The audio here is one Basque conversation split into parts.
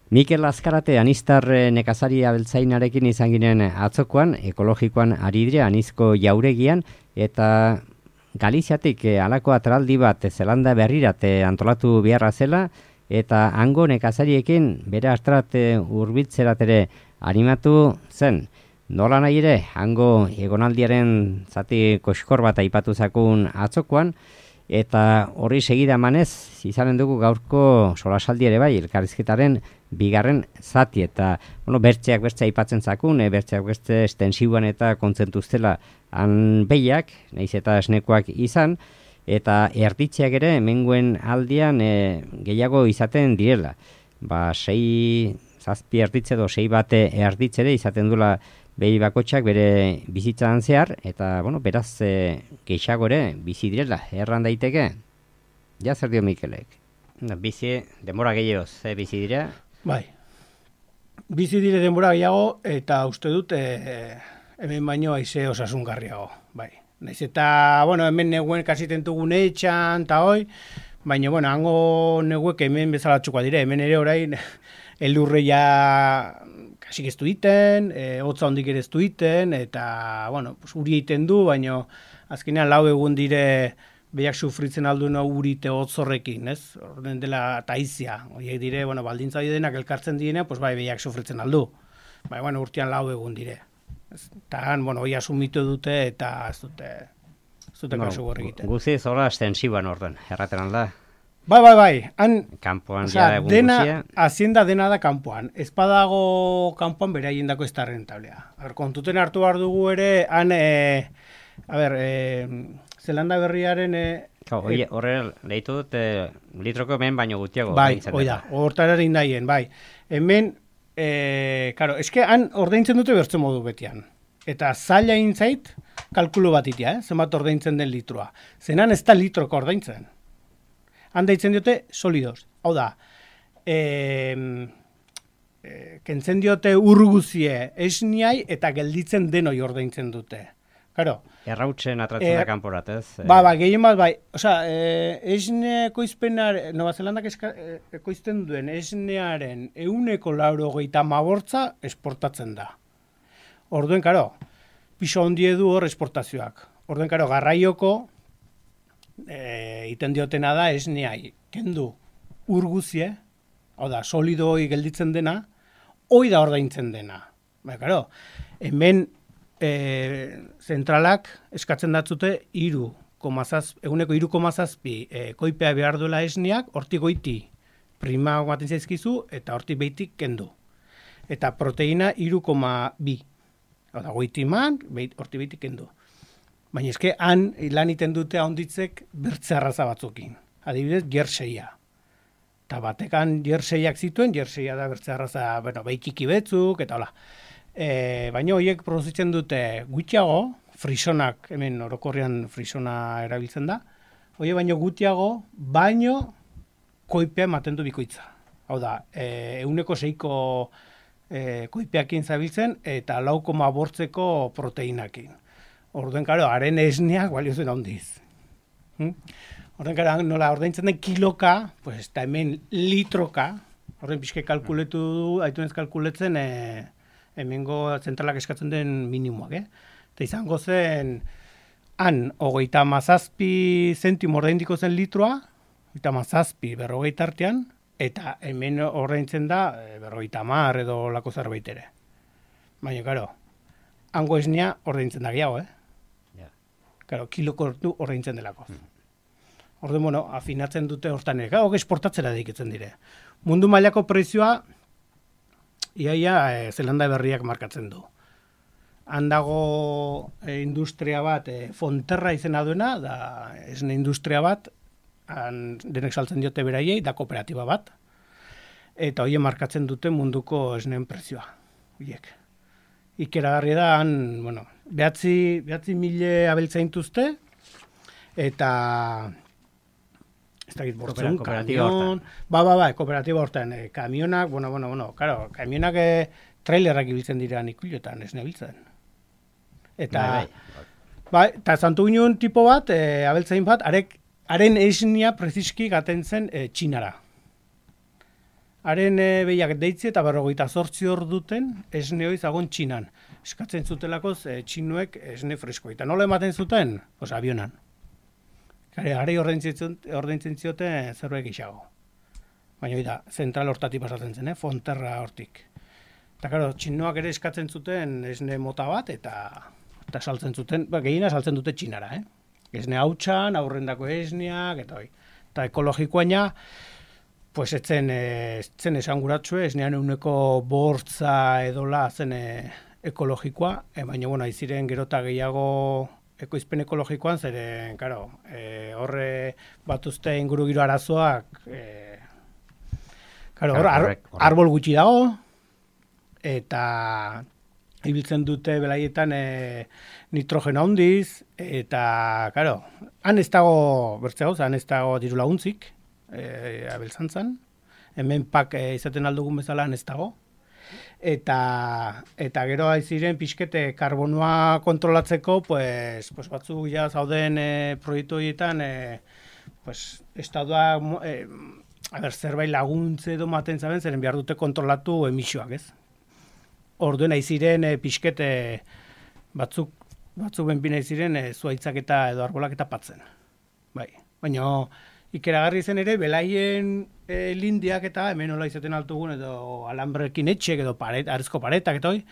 Mikel Azkarate anistar nekazari abeltzainarekin izan ginen atzokoan, ekologikoan ari dire anizko jauregian, eta Galiziatik halako atraldi bat Zelanda berrirate antolatu beharra zela, eta hango nekazariekin bere astrat hurbiltzerat ere animatu zen. Nola nahi ere, hango egonaldiaren zati koskor bat aipatu zakun atzokoan, eta horri segida emanez, izanen dugu gaurko solasaldi ere bai, elkarrizketaren bigarren zati, eta bertzeak beste aipatzen zakun, bertzeak beste estensiboan eta kontzentuztela han behiak, nahiz eta esnekoak izan, eta erditzeak ere hemengoen aldian gehiago izaten direla. 6-7 erditze edo 6 bate erditze ere izaten dula behi bakotxak bere bizitzan zehar, eta beraz gehiago ere bizi direla, erran daiteke. Ja zer dio Mikelek? Bizi, denbora gehiago, bizi dira? Bai, bizi dire denbora gehiago, eta uste dut hemen baino aize osasungarriago, bai. Naiz eta, hemen neguen kasitentugun etxan, eta hoi, baina, hango neguek hemen bezalatxukoa dire, hemen ere orain, elurre ja kasik ez duiten, hotza hondik ere ez duiten, eta, uri egiten du, baina azkenean 4 egun dire behiak sufritzen alduen urite hotzorrekin, ez? Orden dela taizia, horiek dire, baldintza denak elkartzen direnean, bai, behiak sufritzen aldu. Bai, urtean 4 egun dire. Eta han, hori asumitu dute, eta ez dute kasu gorri egiten. Guziz, horra estensiboan orden, erraten alda? Bai. Han, kanpoan ja egun guzia. Hazienda dena da kanpoan. Ez badago kanpoan bere haiendako ez da rentablea. Kontuten hartu behar dugu ere, han, Zelanda berriaren... Horre, lehitu dut, litroko hemen baino gutiago. Bai, hortararen daien, bai. Hemen, eske han ordaintzen dute bertzen modu betian. Eta zaila intzait, kalkulo bat itea, zenbat ordaintzen den litroa. Zenan ez da litroko ordaintzen. Han deitzen diote solidos. Hau da, kentzen diote urguzie esniai eta gelditzen denoi ordaintzen dute. Claro. Errautzen atratzen da kanporat, ez? Gehien bat, bai. Esne ekoizpenar, Nova Zelandak ekoizten duen esnearen 180 esportatzen da. Orduen, piso hondie du hor esportazioak. Orduen, garraioko iten diotena da esneai. Kendu urguzie, hau da, solidoi gelditzen dena, hoi da ordaintzen dena. Hemen zentralak eskatzen datzute 3,7 koipea behar duela esneak, hortik goiti prima baten zaizkizu, eta hortik behitik kendu. Eta proteina 3,2. Hau da, goiti man, hortik behitik kendu. Baina eske, han lan iten dute ahonditzek bertze arraza batzukin. Adibidez, jerseia. Eta batekan jerseiak zituen, jerseia da bertze arraza, behikiki betzuk, eta hola. Baina horiek produzitzen dute gutxiago, frisonak, hemen orokorrean frisona erabiltzen da, baino gutxiago, baino koipea ematen du bikoitza. Hau da, 1,6ko koipeakin zabiltzen eta 4,8ko proteinakin. Orduen, haren esneak baliozen handiz. Orduen, nola ordaintzen den kiloka, eta hemen litroka, horren pixke kalkuletu du, aitunez kalkuletzen, hemengo zentralak eskatzen den minimoak, Eta izango zen, han, 37 zentimo ordaindiko zen litroa, 37 40 artean, eta hemen ordaintzen da 50 edo lako zerbait ere. Baina, hango esnea ordaintzen da gehiago, kiloko ordaintzen delako. Orduan, afinatzen dute hortan ere, esportatzera dedikitzen dire. Mundu mailako prezioa, iaia Zelanda berriak markatzen du. Han dago industria bat, Fonterra izena duena, da esne industria bat, denek saltzen diote beraiei, da kooperatiba bat, eta hoien markatzen dute munduko esneen prezioa. Ikeragarri da, han, 9.000 abeltzaintuzte, eta ez dakit bortzun, kamion, kooperatiba hortan, kamionak, kamionak trailerrak ibiltzen direan ikulotan, ez nebiltzen. Eta, eta zantu ginen tipo bat, abeltzain bat, haren esnia preziski gaten zen Txinara. haren behiak deitzi eta 48 orduten esne hori zagon Txinan. Eskatzen zutelakoz txinuek esne freskoa. Eta nola ematen zuten? Avionan. Gari ordaintzen zioten zerbait gixago. Baina da, zentral hortatik pasatzen zen, Fonterra hortik. Eta karo, txinoak ere eskatzen zuten esne mota bat eta saltzen zuten, gehiena saltzen dute Txinara, Esne hautsan, aurrendako esneak, eta hoi. Eta ekologikoaina, pues etzen esanguratsue, esnean euneko bortza edola zen ekologikoa, baina bueno, aiziren gerota gehiago ekoizpen ekologikoan, zeren, karo, horre batuzte ingurugiro arazoak, karo, arbol gutxi dago, eta ibiltzen dute belaietan nitrogeno handiz, eta, karo, han ez dago, han ez dago diru laguntzik, abeltzantzan, hemen pak izaten aldugun bezala han ez dago, eta gero aiziren pixkete karbonoa kontrolatzeko, pues batzu ja zauden proiektu horietan, estadua, zerbait laguntze edo maten zaben, zeren behar dute kontrolatu emisioak, ez? Orduen aiziren pixkete batzuk benpina aiziren zuaitzak eta edo arbolak eta patzen. Bai. Baina ikeragarri zen ere, belaien lindiak eta hemen hola izaten altugun edo alambrekin etxek edo arezko paretak eta hoi,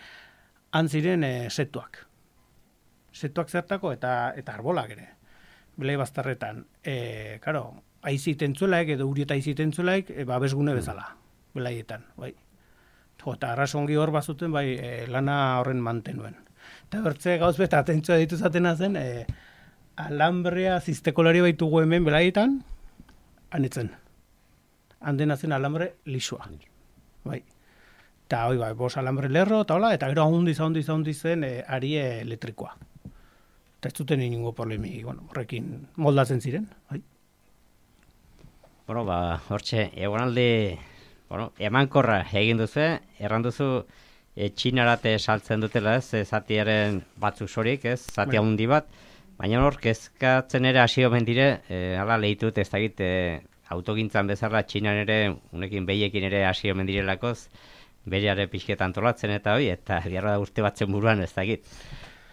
han ziren setuak. Setuak zertako eta arbolak ere. Belai bazterretan. Karo, aiziten zuelaik edo urieta aiziten zuelaik, babesgune bezala. Belaietan, bai. Eta arrasongi hor bazuten, bai, lana horren mantenuen. Eta bertze gauz beta atentzua ditu zatena zen, alambrea ziztekolari baitugu hemen belaietan, anetzen. Handena zen alambre lisua. Bai. Eta hoi, bai, bos alambre lerro, eta hola, eta gero ahondiz zen ari elektrikoa. Eta ez zuten ingo problemi, bueno, horrekin moldatzen ziren, bai. Bueno, hortxe, egonaldi, emankorra egin duzu, erran duzu Txinarate saltzen dutela, zatiaren batzuk sorik, zati handi bat, baina hor, kezkatzen ere hasi omen dire, hala lehitut ez dakit, autogintzan bezala Txinan ere, unekin behiekin ere hasi omen direlakoz, beriare pixketan antolatzen eta hoi, eta biarra da urte batzen buruan ez dakit.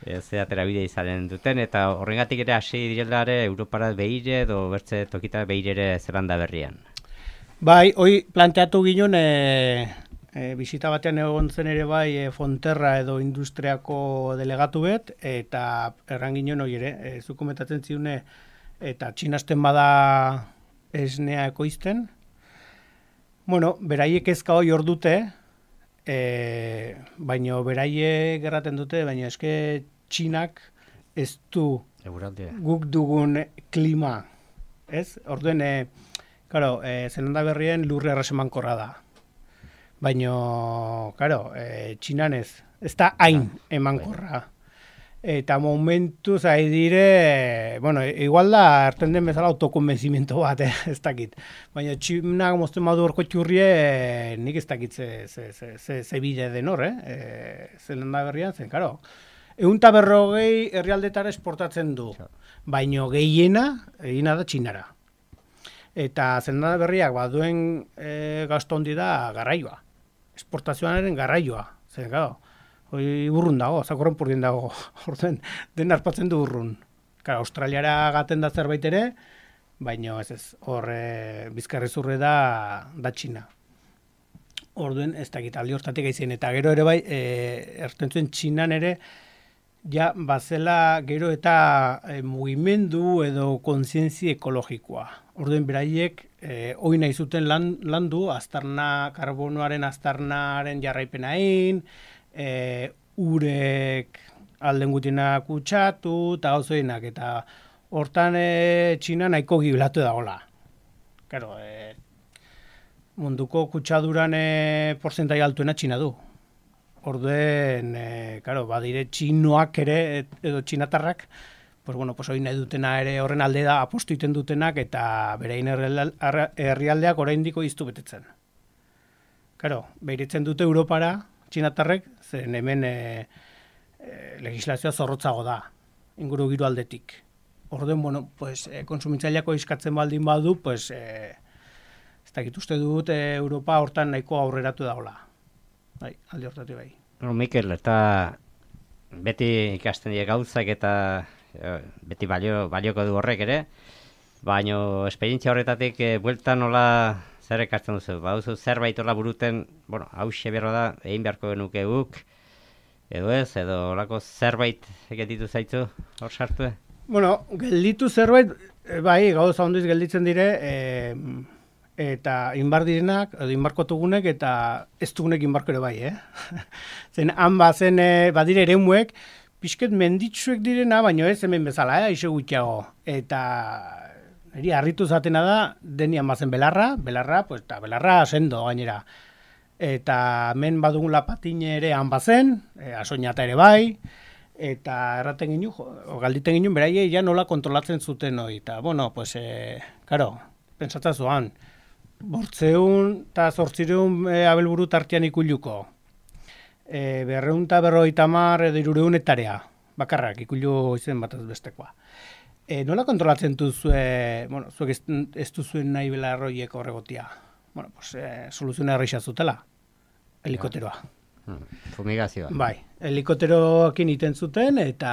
Zeatera bide izanen duten, eta horrengatik ere hasi direlare Europara behire edo bertze tokita behire ere Zelanda berrian. Bai, hoi planteatu ginen, bisita batean egon zen ere bai Fonterra edo industriako delegatu bet, eta erran ginen hoi ere, zukomentatzen ziune, eta txinasten bada esnea ekoizten. Bueno, beraiek ezka hoi hor dute, baina beraiek gerraten dute, baina eske Txinak ez du guk dugun klima, ez? Orduen, Zelanda berrien lurre arrasemankorra da. Baina, Txinan ez da hain emankorra. Eta momentu zai dire, bueno, igual da, hartzen den bezala autokonbenzimento bat, ez dakit. Baina Txinak mozten badu orko txurrie, nik ez dakit ze bide den hor, Zelanda berrian zen, Eunta berrogei herrialdetara esportatzen du, baino gehiena egina da Txinara. Eta Zelanda berriak baduen gasto handi da garraioa, esportazioaren garraioa. Zer, hoi burrun dago, zakorren purdien dago, den arpatzen du burrun. Australiara gaten da zerbait ere, baino ez, hor bizkarrezurre da Txina. Orduen ez dakit aldi hortatik aizien, eta gero ere bai, erten zuen Txinan ere, ja, bazela gero eta mugimendu edo kontzientzia ekologikoa. Orduen beraiek, hoi nahi zuten landu, karbonoaren aztarnaren jarraipena egin, urek alden gutiena kutsatu, eta gauzoenak, eta hortan Txina nahiko gibilatu dagoela. Munduko kutsaduran porzentai altuena Txina du. Orduen, badire txinoak ere, edo txinatarrak, hori nahi dutena ere horren alde da apostu iten dutenak eta berein herrialdeak oraindiko iztu betetzen. Behiritzen dute Europara, txinatarrek, zen hemen legislazioa zorrotzago da, inguru giro aldetik. Orduen, konsumitzaileako iskatzen baldin badu, ez Ez dakit uste dut Europa hortan nahiko aurreratu dagoela. Bai, alde hortatik bai. Mikel, eta beti ikasten dira gauzak eta beti balioko du horrek ere, baina esperientzia horretatik bueltan nola zer ekartzen duzu? Baduzu zerbait hola buruten, bueno, hauxe berro da, egin beharko genuke guk, edo ez, edo olako zerbait egetitu zaitzu hor sartu? Bueno, gelditu zerbait, bai, gauza ondiz gelditzen dire, eta inbar direnak, edo inbarkotugunek, eta ez dugunek inbarko ere bai, Zen, han bazen, badire eremuek, pixket menditsuek direna, baina ez hemen bezala, iso gutxiago. Eta niri harritu zatena da, denian bazen belarra, pues, eta belarra sendo gainera. Eta hemen badugula patine ere han bazen, asoinata ere bai, eta erraten ginen, galditen ginen, beraiei ja nola kontrolatzen zuten hori. Eta, bueno, pues, karo, pentsatza zuan, 800 eta 800 abelburu tartean ikuluko. 250 edo 300 hektarea, bakarrak ikulu izen bat bestekoa. Nola kontrolatzen duzue, bueno, zuek ez duzuen nahi belarroiek horregotia? Bueno, pues, soluzioa erreixa zutela, helikoteroa. Fumigazioa. Bai, helikoteroekin iten zuten, eta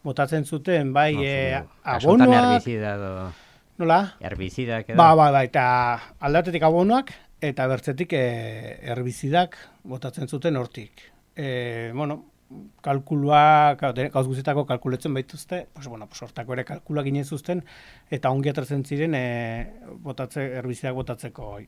botatzen zuten, bai, abonoak. Herbizida edo... Nola? Herbizidak edo? Ba, eta aldatetik abonoak, eta bertzetik herbizidak botatzen zuten hortik. Bueno, kalkulua, gauz guztietako kalkuletzen baituzte, pues, bueno, pues, hortako ere kalkulua ginen zuzten, eta ongi atratzen ziren herbizidak botatzeko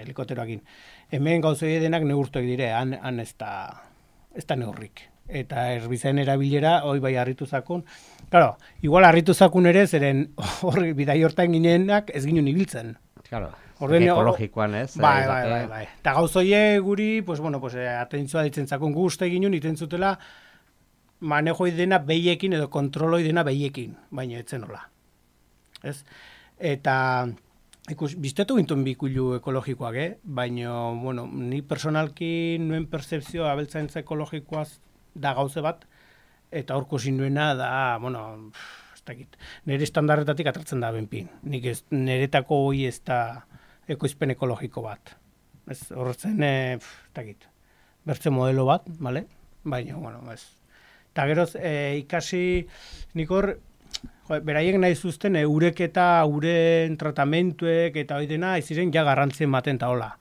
helikopteroakin. Hemen gauzoi denak neurtuak dire, han ez da neurrik. Eta herbizaen erabilera, hoi bai harritu zakun. Claro, igual harritu zakun ere, zeren horri bidai hortan ginenak ez ginen ibiltzen. Claro, ekologikoan ez. Bai. Eta gauzoie guri, pues, bueno, pues, atentzua ditzen zakun guzti ginen, iten zutela manejoi dena behiekin edo kontroloi dena behiekin, baina etzen hola. Ez? Eta biztetu gintuen bikulu ekologikoak, baina, bueno, ni personalki nuen percepzioa abeltzaintza ekologikoaz da gauze bat, eta horko zinuena da, bueno, ez dakit, nire estandarretatik atratzen da benpin. Nik niretako hoi ez da ekoizpen ekologiko bat. Ez horretzen, ez dakit, bertze modelo bat, bale? Baina, bueno, ez. Eta geroz, ikasi, nik hor, beraiek nahi zuzten, urek eta uren tratamentuek eta hori dena, iziren ja garrantzien baten eta hola.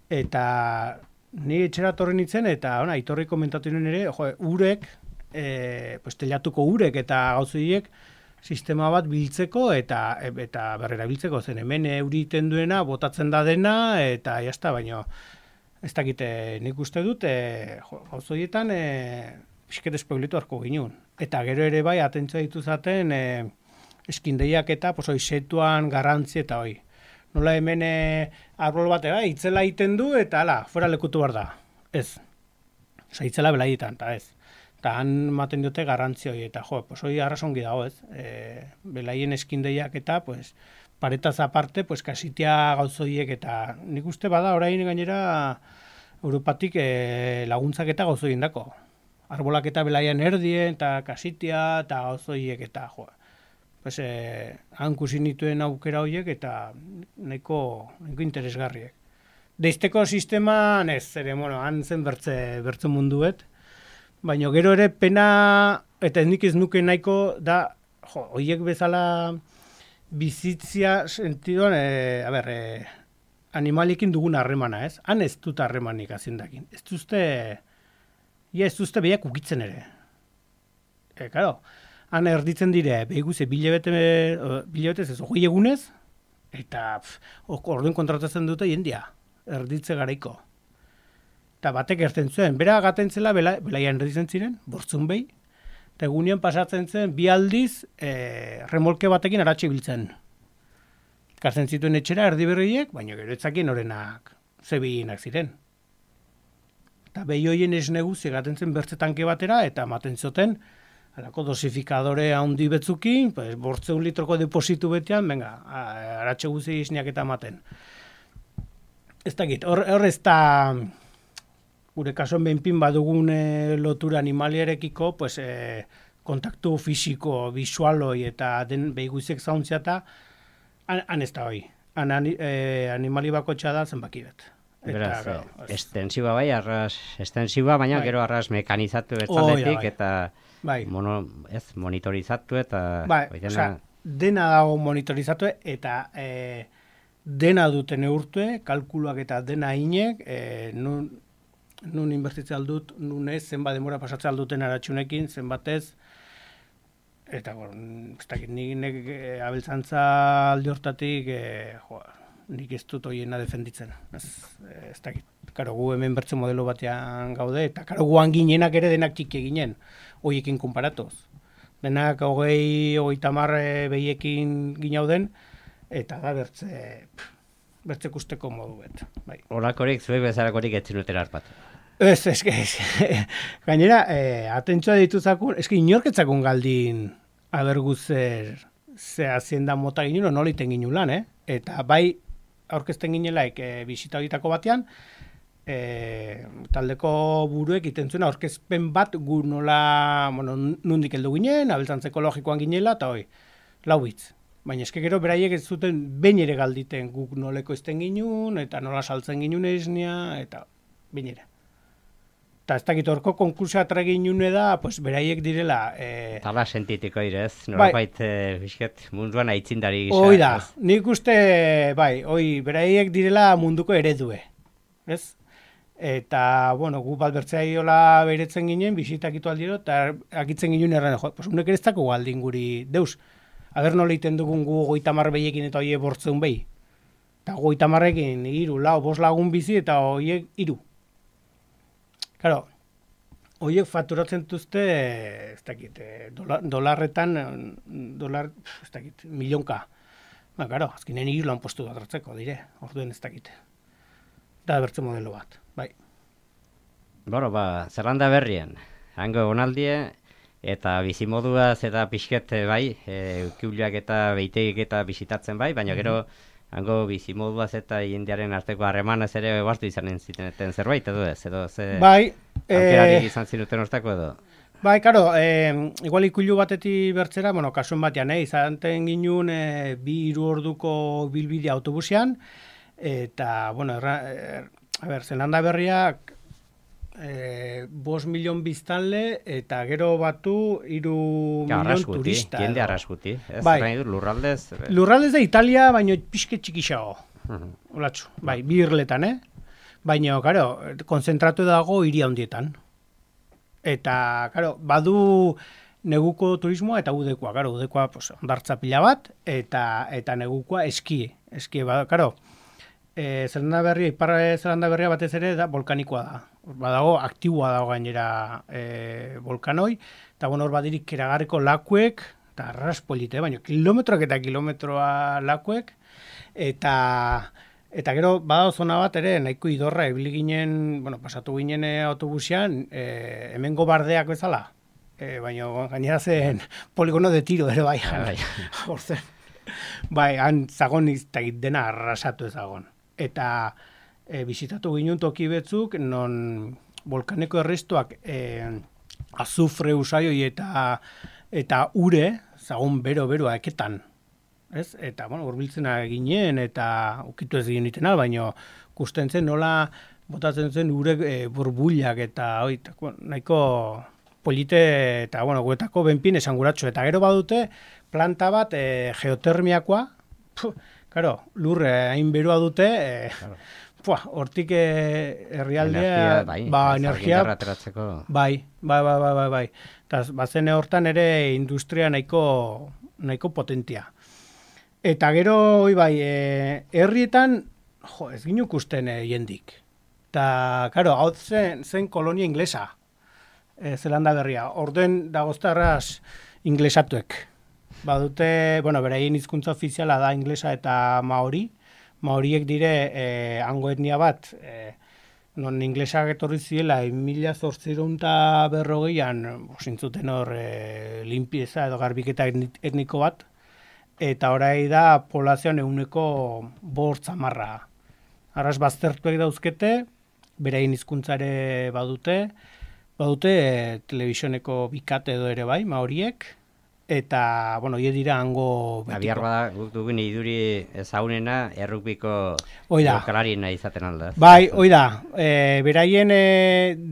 Eta ni etxera torri nintzen, eta itorri komentatu nuen ere, urek, pues, telatuko urek eta gauzoiek, sistema bat biltzeko eta berrera biltzeko zen. Hemen euriten duena, botatzen da dena, eta jazta, baina ez dakite nik uste dut, gauzoietan pixket espoilitu harko ginen. Eta gero ere bai, atentzua dituzaten eskindeiak eta setuan garrantzi eta hoi. Nola hemen arbol bat itzela egiten du eta ala, fuera lekutu behar da. Ez. Osa, itzela belaietan, eta ez. Eta han maten dute garrantzioi, eta pues hoi arrasongi dago, ez? Belaien eskindeiak eta, pues, paretaz aparte, pues, kasitia gauzoiek eta nik uste bada orain gainera Europatik laguntzak eta gauzoien dako. Arbolak eta belaian erdien, eta kasitia, eta gauzoiek eta, pues, han kusinituen aukera horiek eta nahiko interesgarriek. Deizteko sisteman ez, bueno, han zen bertze munduet, baina gero ere pena, eta nik ez nuke nahiko da, horiek bezala bizitzia sentidoan, animaliekin dugun harremana, ez? Han ez dut harremanik azindakin. Ez duzte behiak ukitzen ere. Karo, han erditzen dire, behiguze bilebetez ez, hogei egunez, eta orduen kontratatzen dute jendia, erditze garaiko. Eta batek erten zuen, bera gaten zela belaian erditzen ziren, bortzun behi, eta egunean pasatzen zen, bi aldiz remolke batekin aratxe biltzen. Kartzen zituen etxera erdi berriek, baina gero etzakien orenak zebienak ziren. Eta behi hoien esneguzi gaten zen bertze tanke batera, eta maten zoten, alako dosifikadore handi betzukin, pues, 800 litroko depositu betean, venga, aratxe guzi isniak eta maten. Ez dakit, hor ez da, gure kasuan behinpin badugun lotura animaliarekiko, pues, kontaktu fisiko, visualoi eta den behiguziek zauntzia eta han ez da hoi. animali bakotxa da zenbaki bat. Beraz, estensiba bai, arras estensiba, baina bai. Gero arras mekanizatu bezaletik bai. Eta bai. Monitorizatu eta... Bai, dena dago monitorizatu eta dena dute neurtue, kalkuluak eta dena inek, nun inbertitzea aldut, nun ez, zenbat demora pasatzea alduten aratxunekin, zenbatez, eta ez dakit, nik abeltzantza alde hortatik, nik ez dut hoiena defenditzen. Ez dakit, karo, gu hemen bertze modelo batean gaude, eta karo, guan ginenak ere denak txiki ginen, hoiekin konparatoz. Denak 30 behiekin ginauden, eta da bertze kusteko modu bet. Bai. Horakorik, zuek bezalakorik ez zinutera harpatu. Ez, gainera, atentzua dituzakun, inorketzakun galdin aberguzer ze hazienda mota ginen, nola iten ginen lan, Eta bai, aurkezten ginelaik bisita horietako batean, taldeko buruek iten zuen aurkezpen bat gu nola, nundik heldu ginen, abeltzantza ekologikoan ginela, eta hoi, 4 hitz. Baina eske gero beraiek ez zuten behin ere galditen guk noleko ezten ginun, eta nola saltzen ginun esnia, eta behin ere. Eta ez dakit horko konkursa ginune da, pues beraiek direla... Tala sentitiko direz, norabait bisket munduan aitzindari gisa. Hoi da, nik uste, beraiek direla munduko eredue, ez? Eta, gu bat bertzeaiola beretzen ginen, bisitakitu aldiro, eta akitzen ginen erran, pues unek ere ez dako galdin guri, deus, aber nola iten dugun gu 30 behiekin eta hoiek bortzeun behi. Eta 30ekin 3, 4, 5 lagun bizi eta hoiek 3. Claro, hoiek fakturatzen duzte, ez dakit, dolarretan, ez dakit, milionka. Claro, azkinen 3 lan postu bat hartzeko, dire, orduen ez dakit. Da bertze modelo bat, bai. Zerrenda berrien, hango onaldie, eta bizimoduaz eta pixket bai, ukiuliak eta beitegik eta bisitatzen bai, baina gero hango bizimoduaz eta jendearen arteko harremanez ere bartu izanen ziteneten zerbait edo ez, edo ze aukerarik izan zinuten hortako edo? Bai, karo, igual ikuilu batetik bertzera, kasuen batean, izanten ginen 2-3 orduko bilbidea autobusean, eta, Zelanda Berriak 5 milion biztanle eta gero batu 3 milion turista. Jende arraskuti. Bai. Lurraldez? Lurraldez da Italia, baina pixke txikixago. Olatxu, bai, 2 irletan, Baina, karo, konzentratu dago hiri handietan. Eta, karo, badu neguko turismoa eta udekoa. Karo, udekoa ondartza pila bat, eta negukoa eskie. Eskie, karo, Zelanda Berria, Ipar Zelanda Berria batez ere da volkanikoa da. Badago, aktiboa dago gainera volkanoi, eta hor badirik keragarriko lakuek, eta arraspolite, baina kilometroak eta kilometroa lakuek, eta gero badago zona bat ere, nahiko idorra, ebili ginen, pasatu ginen autobusean, hemengo bardeak bezala, baina gainera zen poligono de tiro ere bai, horzen. Bai, han zagon iztagit dena arrasatu ezagon. Eta bisitatu ginen toki betzuk, non volkaneko errestuak azufre usaioi eta ure, zagon bero-beroa eketan. Ez? Eta, urbiltzen ginen eta ukitu ez ginen baina kusten zen nola botatzen zen ure burbuliak eta nahiko polite eta, guetako benpin esanguratxo. Eta gero badute planta bat geotermiakoa, lurre hain beroa dute, hortik herrialdea, energia, bai. Eta bazen hortan ere industria nahiko potentia. Eta gero, herrietan, ez ginen ikusten jendik. Eta, hau zen kolonia inglesa, Zelanda Berria. Orden dagoztarraz inglesatuek. Badute, beraien hizkuntza ofiziala da inglesa eta maori. Maoriek dire hango etnia bat, non inglesak etorri ziela 1840an zintzuten hor limpieza edo garbiketa etniko bat, eta orai da poblazioan 5% Arras baztertuek dauzkete, beraien hizkuntzare badute telebisioneko bikate edo ere bai, maoriek, eta, bueno, hie dira hango betiko. Abiar bada, guk dugun iduri ezagunena, errukbiko Oida. jokalarien izaten alda. Bai, oida, beraien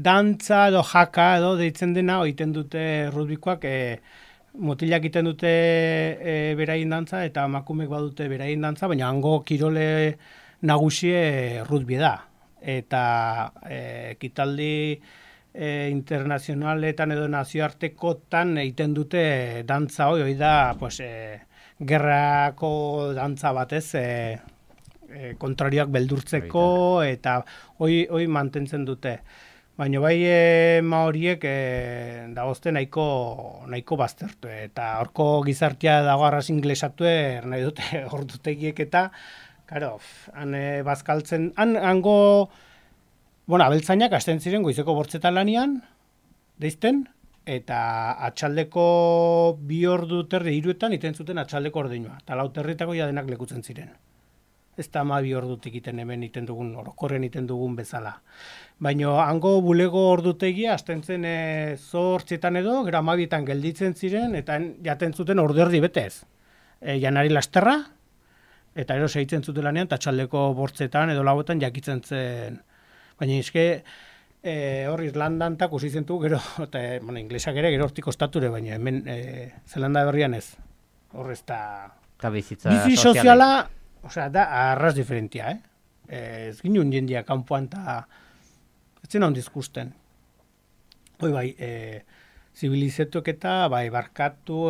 dantza edo jaka edo deitzen dena, oiten dute rugbikoak, mutilak iten dute beraien dantza, eta emakumeek badute beraien dantza, baina hango kirole nagusie rugby da. Eta ekitaldi internazionaletan edo nazioartekotan egiten dute dantza hoi da, pues, gerrako dantza batez, kontrarioak beldurtzeko, eta hoi mantentzen dute. Baina bai maoriek dagozte nahiko baztertu, eta horko gizartea dago arras inglesatu nahi dute ordutegiek eta, karo, han bazkaltzen, hango, bueno, abeltzainak hasten ziren goizeko bortzetan lanian, deizten, eta atxaldeko 2 ordu terdi 3etan iten zuten atxaldeko ordeinua, eta 4 territako ja denak lekutzen ziren. Ez da 12 ordutik iten hemen iten dugun, orokorren iten dugun bezala. Baina hango bulego ordutegia hasten zen 8etan edo, gero 12etan gelditzen ziren, eta jaten zuten ordu erdi betez. Janari lasterra, eta ero segitzen zuten lanean, eta atxaldeko bortzetan edo 4etan jakitzen zen. Baina eske hor Irlandan tak usitzen du, gero, eta bueno, inglesak ere gero hortik ostature, baina hemen Zelanda berrian ez. Hor ez da... Bizi soziala, osea, da arras diferentia, ez ginen jendia kanpoan eta ez zen handiz gusten. Hoi bai, zibilizetuek eta bai, barkatu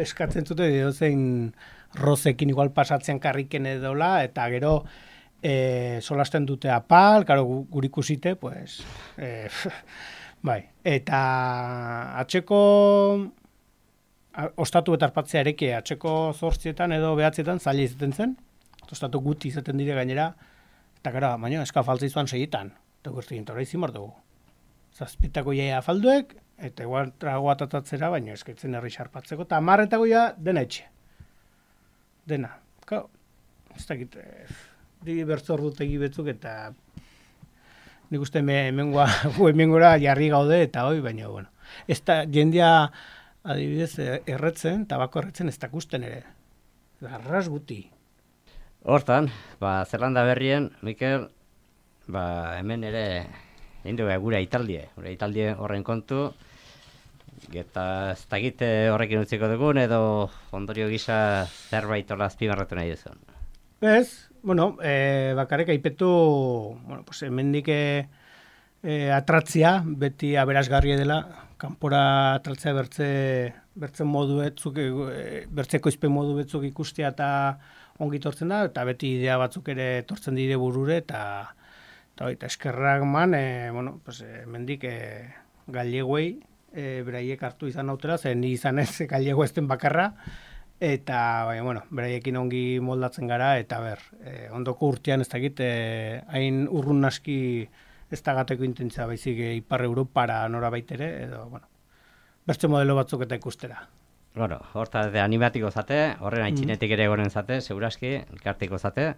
eskatzen zute edo zein rozekin igual pasatzen karriken edola, eta gero solasten dute apal, karo gurikusite, pues, bai, eta atxeko ostatu eta arpatzea ereke, atxeko 8etan edo 9etan zaila izaten zen, ostatu guti izaten dire gainera, eta gara, baina eska faltza izuan 6etan, eta guzti gintora izin bardugu. Zazpitako jaia falduek, eta igual tragoa tatatzera, baina eskaitzen herri xarpatzeko, eta 10etako ja dena etxe. Dena. Kau, ez dakit, bertzor dutegi betzuk, eta nik uste hemengora jarri gaude, eta hoi, baina, bueno. Ez da, jendia adibidez erretzen, tabako erretzen ez dakusten ere. Arras guti. Hortan, Zelanda berrien, Mikel, hemen ere egin dugu gure italdie horren kontu, eta ez dakit horrekin utziko dugun, edo ondorio gisa zerbait hola azpimarratu nahi duzun. Ez, bueno, bakarrik aipetu, bueno, pues hemendik atratzia, beti aberasgarria dela, kanpora atratzea bertzen modu betzuk, bertzeko izpe modu betzuk ikustea eta ongi tortzen da, eta beti idea batzuk ere tortzen dire burure, eta eskerrak man, bueno, pues hemendik galleguei, beraiek hartu izan nautela, zen ni izan ez gallego ezten bakarra, eta, bueno, beraiekin ongi moldatzen gara, eta ondoko urtean ez dakit, hain urrun naski ez dagateko intentzia baizik Ipar Europara nora baitere, edo, bueno, bertze modelo batzuk eta ikustera. Bueno, horta animatiko zate, horren aitzinetik ere goren zate, seguraski, elkartiko zate,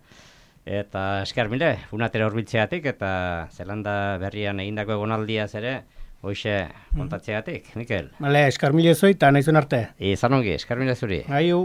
eta esker mile, unatera horbiltzeatik, eta Zelanda berrian egindako egonaldiaz ere, hoxe kontatzeatik, Mikel. Bale, esker mile zoi, eta nahizun arte. Izan ongi, esker mile zuri. Aiu.